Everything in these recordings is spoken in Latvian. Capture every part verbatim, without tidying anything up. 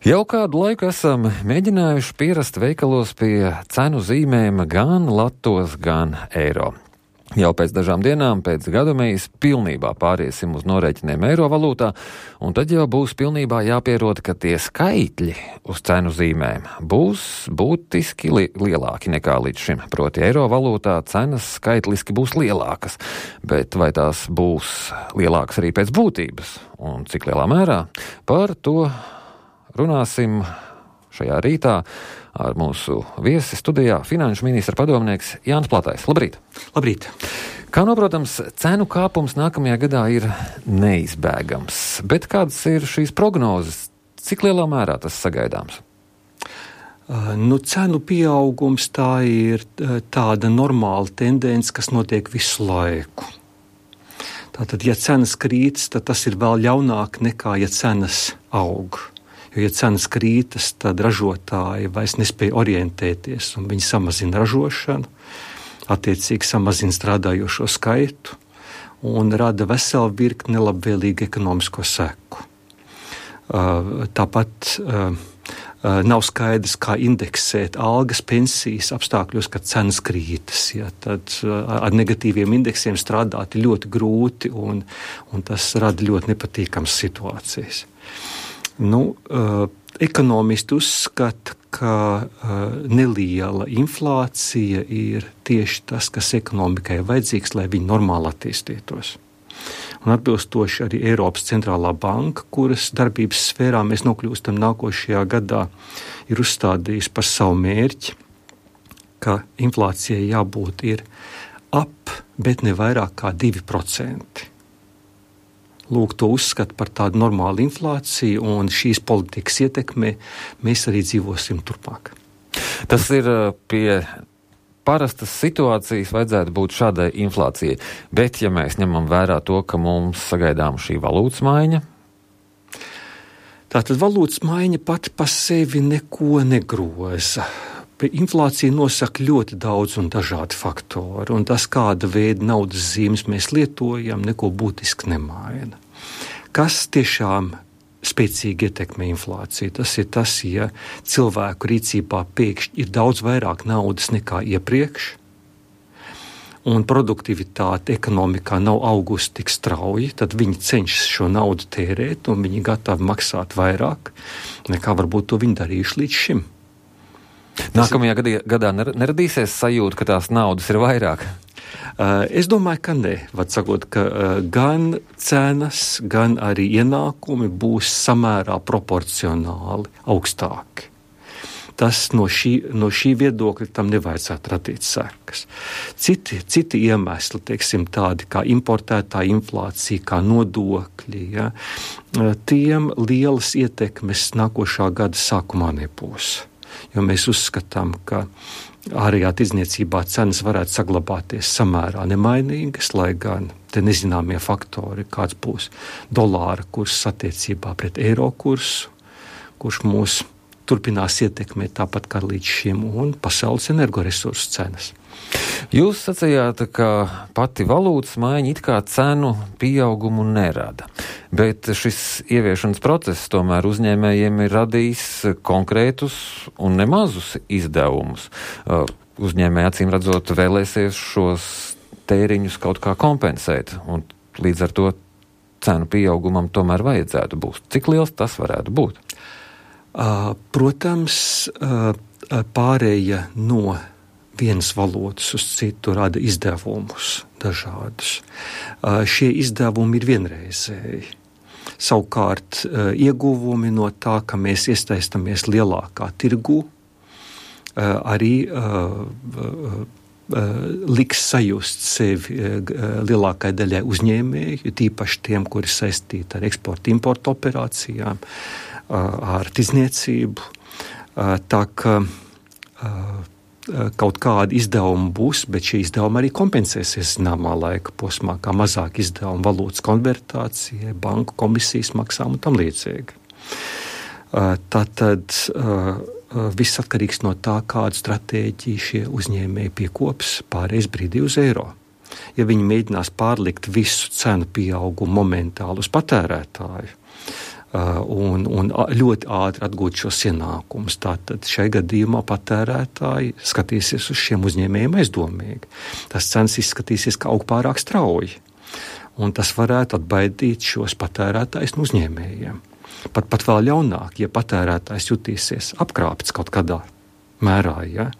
Jau kādu laiku esam mēģinājuši pierast veikalos pie cenu zīmēm gan latos, gan eiro. Jau pēc dažām dienām, pēc gadamējas, pilnībā pāriesim uz norēķiniem eiro valūtā, un tad jau būs pilnībā jāpierod, ka tie skaitļi uz cenu zīmēm būs būtiski li- lielāki nekā līdz šim. Proti eiro valūtā cenas skaitliski būs lielākas, bet vai tās būs lielākas arī pēc būtības, un cik lielā mērā, par to runāsim šajā rītā ar mūsu viesi studijā finanšu ministra padomnieks Jānis Platais. Labrīt! Labrīt! Kā noprotams, cenu kāpums nākamajā gadā ir neizbēgams, bet kādas ir šīs prognozes? Cik lielā mērā tas sagaidāms? Uh, nu, cenu pieaugums tā ir tāda normāla tendence, kas notiek visu laiku. Tātad, ja cenas krītas, tad tas ir vēl ļaunāk nekā, ja cenas aug. Jo, ja cenas krītas, tad ražotāji vairs nespēja orientēties, un viņi samazina ražošanu, attiecīgi samazina strādājošo skaitu un rada veselu virkni nelabvēlīgu ekonomisko seku. Uh, tāpat uh, uh, nav skaidrs, kā indeksēt algas, pensijas apstākļos, kad cenas krītas. Ja, tad uh, ar negatīviem indeksiem strādāt ir ļoti grūti, un, un tas rada ļoti nepatīkamas situācijas. Nu, uh, ekonomisti uzskata, ka uh, neliela inflācija ir tieši tas, kas ekonomikai ir vajadzīgs, lai viņi normāli attīstītos. Un atbilstoši arī Eiropas centrālā banka, kuras darbības sfērā mēs nokļūstam nākošajā gadā, ir uzstādījusi par savu mērķi, ka inflācijai jābūt ir ap, bet ne vairāk kā divi procenti. Lūk, to uzskata par tādu normālu inflāciju, un šīs politikas ietekmē mēs arī dzīvosim turpmāk. Tas ir pie parastas situācijas vajadzētu būt šādai inflācijai, bet ja mēs ņemam vērā to, ka mums sagaidām šī valūtas maiņa? Tātad valūtas maiņa pati pa sevi neko negroza. Inflācija nosaka ļoti daudz un dažādi faktori, un tas, kāda veida naudas zīmes mēs lietojam, neko būtiski nemaina. Kas tiešām spēcīgi ietekmē inflāciju? Tas ir tas, ja cilvēku rīcībā pēkšņi ir daudz vairāk naudas nekā iepriekš, un produktivitāte ekonomikā nav augusi tik strauji, tad viņi cenšas šo naudu tērēt, un viņi gatavi maksāt vairāk, nekā varbūt to viņi darījuši līdz šim. Nākamajā gadā, gadā neradīsies sajūta, ka tās naudas ir vairāk? Uh, es domāju, ka ne. Var sakot, ka uh, gan cenas, gan arī ienākumi būs samērā proporcionāli augstāki. Tas no šī, no šī viedokļa tam nevajadzētu radīt sekas. Citi, citi iemesli, teiksim, tādi kā importētā inflācija, kā nodokļi, ja, tiem lielas ietekmes nākošā gada sākumā nebūs. Jo mēs uzskatām, ka ārējā tirdzniecībā cenas varētu saglabāties samērā nemainīgas, lai gan te nezināmie faktori, kāds būs dolāra kurs attiecībā pret eiro kursu, kurš mūs turpinās ietekmēt tāpat kā līdz šim, un pasaules energoresursu cenas. Jūs sacījāt, ka pati valūtas maiņa it kā cenu pieaugumu nerada, bet šis ieviešanas process tomēr uzņēmējiem ir radījis konkrētus un nemazus izdevumus. Uzņēmēji acīm redzot vēlēsies šos tēriņus kaut kā kompensēt, un līdz ar to cenu pieaugumam tomēr vajadzētu būt. Cik liels tas varētu būt? Protams, pārēja no vienas valodas uz citu rada izdevumus dažādus. Šie izdevumi ir vienreizēji. Savukārt ieguvumi no tā, ka mēs iestaistamies lielākā tirgū, arī liks sajust sevi lielākai daļai uzņēmēju, tīpaši tiem, kuri saistīti ar eksporta importa operācijām, ar tirdzniecību. Tā ka kaut kādi izdevumi būs, bet šie izdevumi arī kompensēsies zināmā laika posmā, kā mazāk izdevumi valūtas konvertācijai, banku komisijas maksām un tam līdzīgi. Tātad viss atkarīgs no tā, kādu stratēģiju šie uzņēmēji piekops pārējais brīdī uz eiro. Ja viņi mēģinās pārlikt visu cenu pieaugumu momentāli uz patērētāju, un, un ļoti ātri atgūt šos ienākumus. Tātad šai gadījumā patērētāji skatīsies uz šiem uzņēmējiem aizdomīgi. Tas cenas izskatīsies, ka aug pārāk strauji, un tas varētu atbaidīt šos patērētājus no uzņēmējiem. Pat, pat vēl ļaunāk, ja patērētājs jutīsies apkrāpts kaut kādā mērā, ja,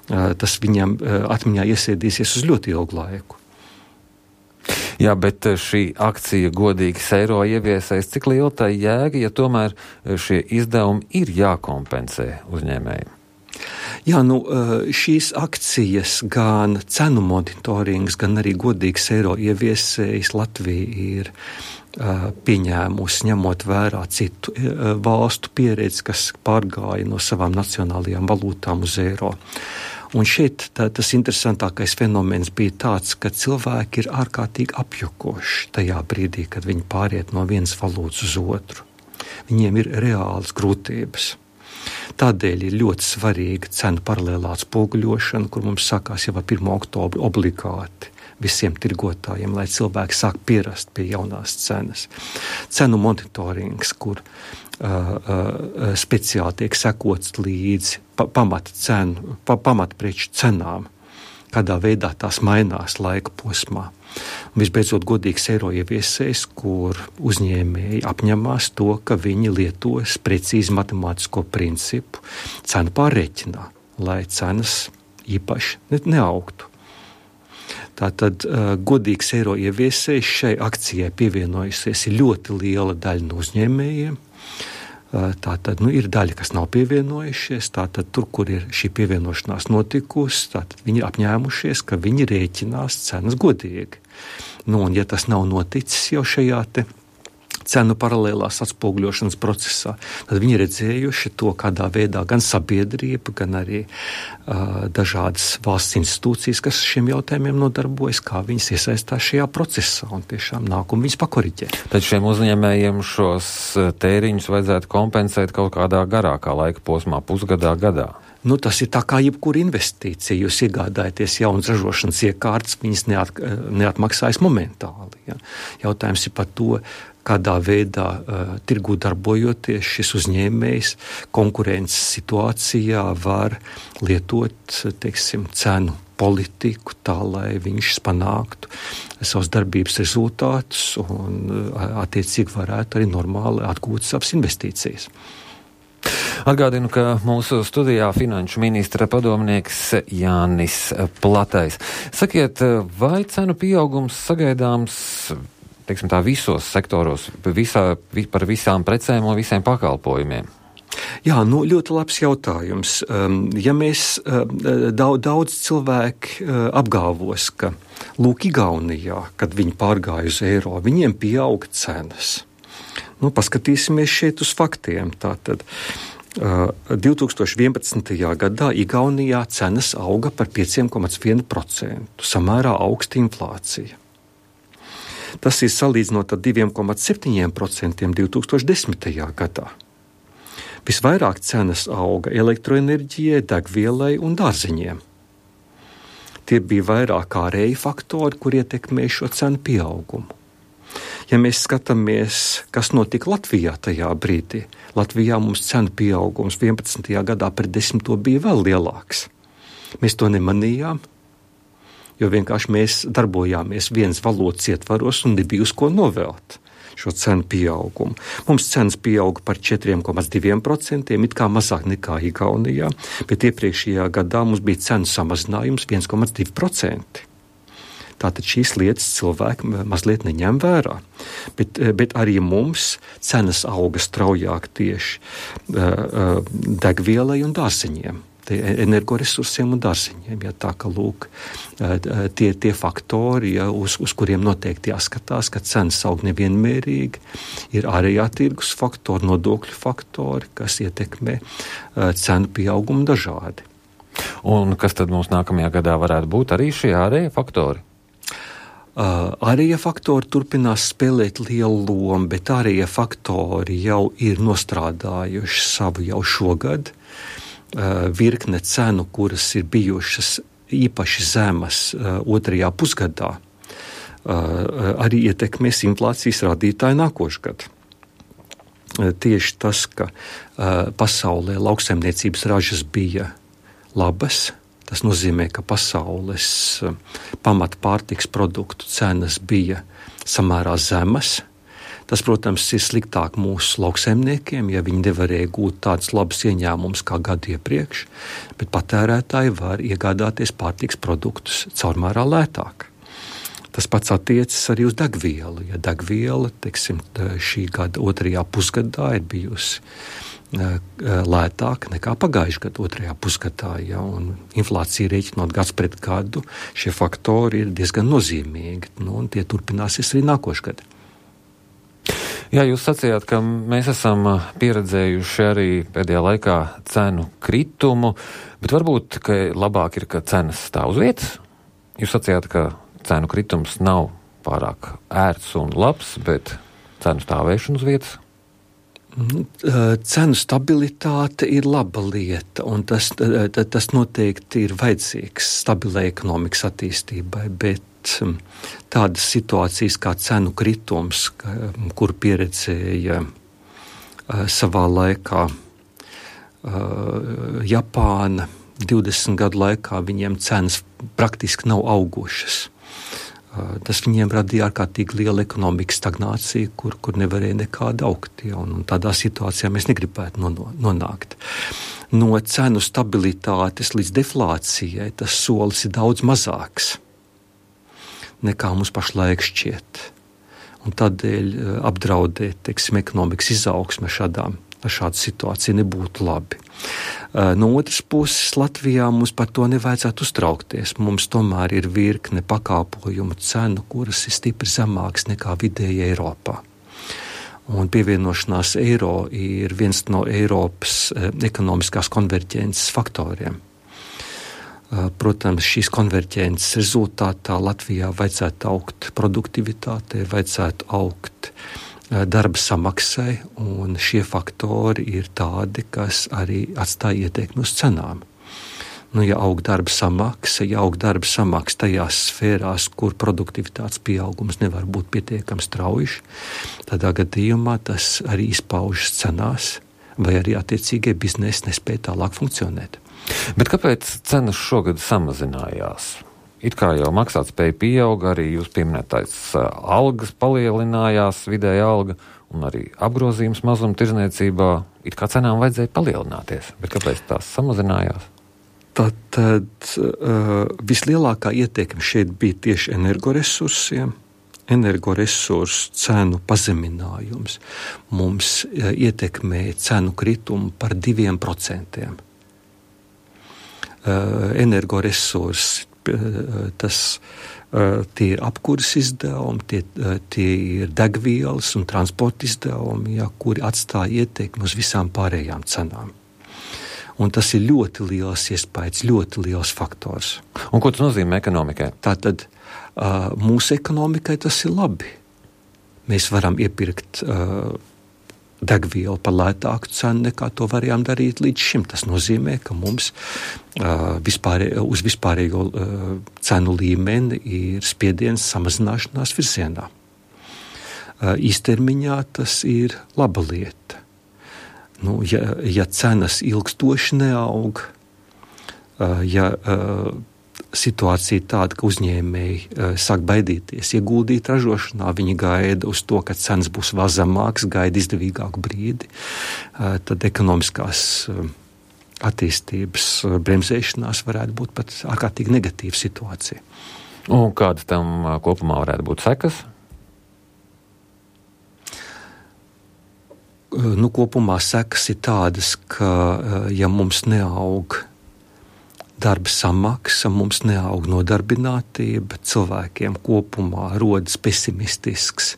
tas viņam atmiņā iesēdīsies uz ļoti ilgu laiku. Jā, bet šī akcija godīgs eiro ieviesēs, cik liela tā jēga, ja tomēr šie izdevumi ir jākompensē uzņēmējiem? Jā, nu, šīs akcijas, gan cenu monitorings, gan arī godīgs eiro ieviesējs Latvija ir pieņēmusi, ņemot vērā citu valstu pieredzi, kas pārgāja no savām nacionālajām valūtām uz eiro. Un šeit tā, tas interesantākais fenomens bija tāds, ka cilvēki ir ārkārtīgi apjukoši tajā brīdī, kad viņi pāriet no vienas valūtas uz otru. Viņiem ir reālas grūtības. Tādēļ ir ļoti svarīga cenu paralēlā atspoguļošana, kur mums sākās jau ar pirmo oktobru obligāti visiem tirgotājiem, lai cilvēki sāk pierast pie jaunās cenas. Cenu monitorings, kur uh, uh, speciāli tiek sekots līdzi pa, pamata cenu, pa, pamatpreču cenām, kādā veidā tās mainās laika posmā. Un visbeidzot, godīgs eiro ieviesējs, kur uzņēmēji apņemās to, ka viņi lietos precīzi matemātisko principu cenu pārreķinā, lai cenas īpaši neaugtu. Tātad uh, godīgs eiro ieviesējs šai akcijai pievienojusies ir ļoti liela daļa no uzņēmējiem. Uh, tātad nu, ir daļa, kas nav pievienojušies, tātad tur, kur ir šī pievienošanās notikusi, tātad viņi ir apņēmušies, ka viņi rēķinās cenas godīgi. Nu, un ja tas nav noticis jau šajā te cenu paralēlās atspoguļošanas procesā, tad viņi redzējuši to, kādā veidā gan sabiedrība, gan arī uh, dažādas valsts institūcijas, kas šiem jautājumiem nodarbojas, kā viņas iesaistās šajā procesā un tiešām nāk un viņas pakoriģē. Tad šiem uzņēmējiem šos tēriņus vajadzētu kompensēt kaut kādā garākā laika posmā, pusgadā, gadā? Nu, tas ir tā kā jebkura investīcija. Jūs iegādājaties jaunas ražošanas iekārtas, viņas neat, neatmaksājas momentāli. Ja. Jautājums ir par to, kādā veidā uh, tirgū darbojoties šis uzņēmējs konkurences situācijā var lietot, teiksim, cenu politiku tā, lai viņš panāktu savus darbības rezultātus un uh, attiecīgi varētu arī normāli atgūt savas investīcijas. Atgādinu, ka mūsu studijā finanšu ministra padomnieks Jānis Platais. Sakiet, vai cenu pieaugums sagaidāms, teiksim tā, visos sektoros, visā, par visām precēm un visiem pakalpojumiem? Jā, nu, ļoti labs jautājums. Ja mēs daudz, daudz cilvēki apgalvos, ka lūk, Igaunijā, kad viņi pārgāja uz eiro, viņiem pieauga cenas. Nu, paskatīsimies šeit uz faktiem. Tātad divi tūkstoši vienpadsmitajā gadā Igaunijā cenas auga par pieci komats viens procents, samērā augsta inflācija. Tas ir salīdzinot ar divi komats septiņi procenti divi tūkstoši desmitajā gadā. Visvairāk cenas auga elektroenerģijai, degvielai un dārzeņiem. Tie bija vairāk ārēji faktori, kur ietekmē šo cenu pieaugumu. Ja mēs skatāmies, kas notika Latvijā tajā brīdī, Latvijā mums cenu pieaugums vienpadsmitajā gadā pret desmito bija vēl lielāks. Mēs to nemanījām, jo vienkārši mēs darbojāmies vienas valodas ietvaros un nebija uz ko novelt šo cenu pieaugumu. Mums cenas pieauga par četri komats divi procenti, it kā mazāk nekā Igaunijā, bet iepriekšējā gadā mums bija cenu samazinājums viens komats divi procenti. Tātad šīs lietas cilvēki mazliet neņem vērā. Bet, bet arī mums cenas auga straujāk tieši uh, degvielai un dārzeņiem, energoresursiem un dārzeņiem. Ja, tā ka lūk, tie, tie faktori, ja, uz, uz kuriem noteikti jāskatās, ka cenas aug nevienmērīgi, ir ārējā tirgus faktori, nodokļu faktori, kas ietekmē uh, cenu pieaugumu dažādi. Un kas tad mums nākamajā gadā varētu būt arī šie ārējie faktori? Uh, ārējie faktori turpinās spēlēt lielu lomu, bet ārējie faktori jau ir nostrādājuši savu jau šogad. Uh, virkne cenu, kuras ir bijušas īpaši zemas uh, otrajā pusgadā, uh, arī ietekmēs inflācijas rādītāju nākošgad. tieši tas, ka uh, pasaulē lauksaimniecības ražas bija labas. Tas nozīmē, ka pasaules uh, pamata pārtiks produktu cenas bija samērā zemas. Tas, protams, ir sliktāk mūsu lauksaimniekiem, ja viņi nevarēja gūt tādus labus ieņēmumus kā gadu iepriekš, bet patērētāji var iegādāties pārtiks produktus caurmērā lētāk. Tas pats attiecas arī uz degvielu. Ja degviela, teiksim, šī gada otrajā pusgadā ir bijusi lētāka nekā pagājušā gada otrajā pusgadā, ja, un inflācija rēķinot gads pret gadu, šie faktori ir diezgan nozīmīgi, nu, un tie turpināsies arī nākošais gads. Jā, jūs sacījāt, ka mēs esam pieredzējuši arī pēdējā laikā cenu kritumu, bet varbūt, ka labāk ir, ka cenas stāv uz vietas. Jūs sacījāt, ka cenu kritums nav pārāk ērts un labs, bet cenu stāvēšana uz vietas? Cenu stabilitāte ir laba lieta, un tas, tas noteikti ir vajadzīgs stabilai ekonomikas attīstībai, bet tādas situācijas kā cenu kritums, kur pieredzēja savā laikā Japāna, divdesmit gadu laikā viņiem cenas praktiski nav augušas. Tas viņiem radīja ārkārtīgi lielu ekonomikas stagnāciju, kur, kur nevarēja nekāda augt. Ja, un, un tādā situācijā mēs negribētu nonākt. No cenu stabilitātes līdz deflācijai tas solis ir daudz mazāks nekā mums pašlaik šķiet. Un tādēļ apdraudēt, teiksim, ekonomikas izaugsme šādām ar šādu situāciju nebūtu labi. No otras puses, Latvijā mums par to nevajadzētu uztraukties. Mums tomēr ir virkne pakalpojumu cenu, kuras ir stipri zemākas nekā vidēji Eiropā. Un pievienošanās eiro ir viens no Eiropas ekonomiskās konverģences faktoriem. Protams, šīs konverģences rezultātā Latvijā vajadzētu augt produktivitātei, vajadzētu augt darba samaksai, un šie faktori ir tādi, kas arī atstāja ietekmi uz cenām. Nu, ja aug darba samaksa, ja aug darba samaksa tajās sfērās, kur produktivitātes pieaugums nevar būt pietiekami strauji, tādā gadījumā tas arī izpaužas cenās, vai arī attiecīgie biznesi nespēja tālāk funkcionēt. Bet kāpēc cenas šogad samazinājās? It kā jau maksātspēja pieauga, arī jūs pieminētais algas palielinājās, vidēja alga, un arī apgrozījums mazuma tirdzniecībā. It kā cenām vajadzēja palielināties, bet kāpēc tās samazinājās? Tad, tad uh, vislielākā ietekme šeit bija tieši energoresursiem. Energoresursu cenu pazeminājums mums uh, ietekmēja cenu kritumu par diviem procentiem. Uh, energoresursi Tas, tie ir apkuras izdevumi, tie, tie ir degvielas un transporta izdevumi, ja, kuri atstāja ietekmi uz visām pārējām cenām. Un tas ir ļoti liels iespējas, ļoti liels faktors. Un ko tas nozīmē ekonomikai? Tātad mūsu ekonomikai tas ir labi. Mēs varam iepirkt degvielu par lētāku cenu, nekā to varējām darīt līdz šim. Tas nozīmē, ka mums uh, vispārē, uz vispārējo uh, cenu līmeni ir spiediens samazināšanās virzienā. Uh, īstermiņā tas ir laba lieta. Nu, ja, ja cenas ilgstoši neaug, uh, ja uh, situācija tāda, ka uzņēmēji uh, sāk baidīties ieguldīt ražošanā, viņi gaida uz to, ka cenas būs vēl zemākas, gaida izdevīgāku brīdi, uh, tad ekonomiskās uh, attīstības uh, bremzēšanās varētu būt pat ārkārtīgi negatīva situācija. Un kādas tam uh, kopumā varētu būt sekas? Uh, nu, kopumā sekas ir tādas, ka uh, ja mums neaug darba samaksa, mums neaug nodarbinātība, cilvēkiem kopumā rodas pesimistisks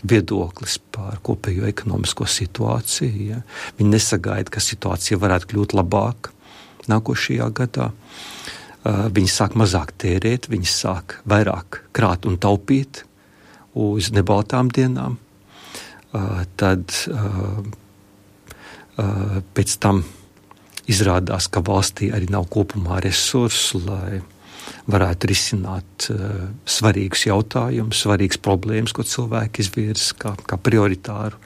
viedoklis par kopējo ekonomisko situāciju. Ja. Viņi nesagaida, ka situācija varētu kļūt labāka nākošajā gadā. Uh, viņi sāk mazāk tērēt, viņi sāk vairāk krāt un taupīt uz nebaltām dienām. Uh, tad uh, uh, pēc tam izrādās, ka valstī arī nav kopumā resursu, lai varētu risināt uh, svarīgus jautājumus, svarīgas problēmas, ko cilvēki izvirza kā, kā prioritāru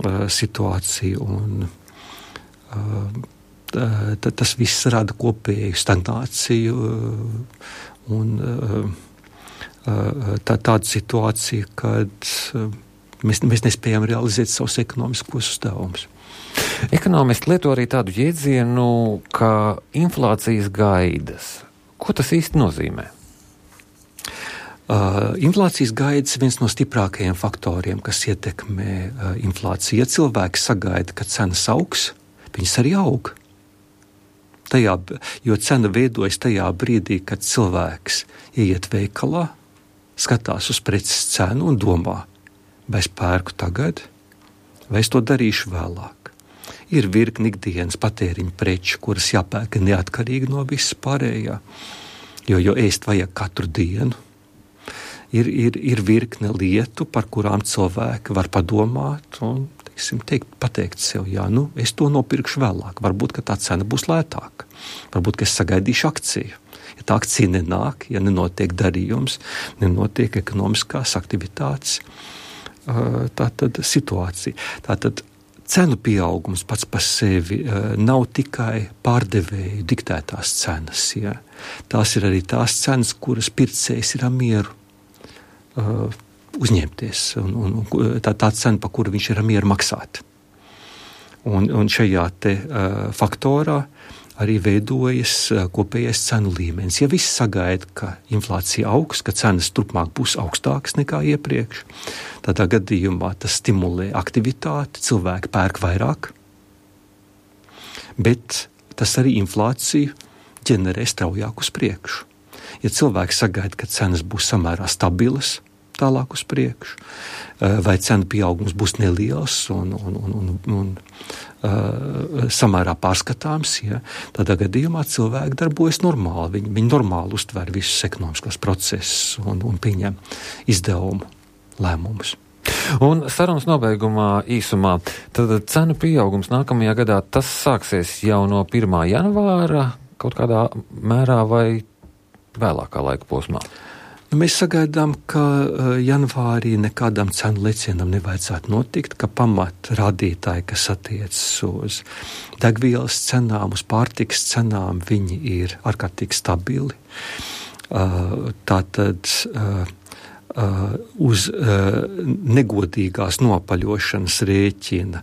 uh, situācija, un uh, t, tas viss rada kopēju stagnāciju uh, un uh, uh, tā, tādu situāciju, kad uh, mēs, mēs nespējam realizēt savus ekonomiskos uzdevumus. Ekonomisti lieto arī tādu jēdzienu, kā inflācijas gaidas. Ko tas īsti nozīmē? Uh, inflācijas gaidas ir viens no stiprākajiem faktoriem, kas ietekmē uh, inflāciju. Ja cilvēki sagaida, ka cenas augs, viņas arī aug. Tajā, jo cena veidojas tajā brīdī, kad cilvēks ieiet veikalā, skatās uz preces cenu un domā, vai es pērku tagad, vai es to darīšu vēlāk. Ir virkni ikdienas patēriņa preču, kuras jāpērk neatkarīgi no visas pārējā, jo, jo ēst vajag katru dienu. Ir, ir, ir virkne lietu, par kurām cilvēki var padomāt un, teiksim, teikt, pateikt sev, jā, nu, es to nopirkšu vēlāk. Varbūt, ka tā cena būs lētāka. Varbūt, ka es sagaidīšu akciju. Ja tā akcija nenāk, ja nenotiek darījums, nenotiek ekonomiskās aktivitātes, tā tad situācija. Tā tad cenu pieaugums pats par sevi uh, nav tikai pārdevēju diktētās cenas. Ja. Tās ir arī tās cenas, kuras pircējs ir ar mieru uh, uzņemties. Un, un, tā tā cena, par kuru viņš ir ar mieru maksāt. Un, un šajā te uh, faktorā arī veidojas uh, kopējais cenu līmenis. Ja viss sagaida, ka inflācija augs, ka cenas turpmāk būs augstākas nekā iepriekš, tādā gadījumā tas stimulē aktivitāti, cilvēki pērk vairāk, bet tas arī inflāciju ģenerē straujāk uz priekšu. Ja cilvēki sagaida, ka cenas būs samērā stabilas, tālāk uz priekšu, vai cenu pieaugums būs neliels un, un, un, un, un uh, samērā pārskatāms, ja, tādā gadījumā cilvēki darbojas normāli, viņi, viņi normāli uztver visus ekonomiskos procesus un, un pieņem izdevumu lēmumus. Un sarunas nobeigumā īsumā, tad cenu pieaugums nākamajā gadā, tas sāksies jau no pirmā janvāra kaut kādā mērā vai vēlākā laika posmā? Mēs sagaidām, ka janvārī nekādam cenu lecienam nevajadzētu notikt, ka pamat rādītāji, kas attiecas uz degvielas cenām, uz pārtikas cenām, viņi ir ārkārtīgi stabili. Tātad uz negodīgās nopaļošanas rēķina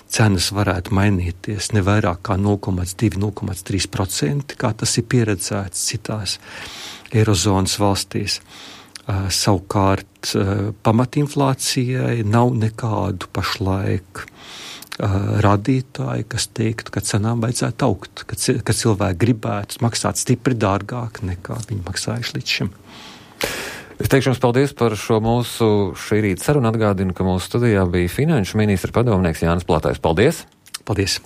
cenas varētu mainīties ne vairāk kā nulle komats divi - nulle komats trīs procenti, kā tas ir pieredzēts citās Eirozonas valstīs. Uh, savukārt uh, pamatinflācijai nav nekādu pašlaik uh, rādītāju, kas teiktu, ka cenām vajadzētu augt, ka, c- ka cilvēki gribētu maksāt stipri dārgāk nekā viņi maksājuši līdz šim. Es teikšu jums paldies par šo mūsu šī rīta sarunu. Atgādinu, ka mūsu studijā bija finanšu ministra padomnieks Jānis Platais. Paldies! Paldies!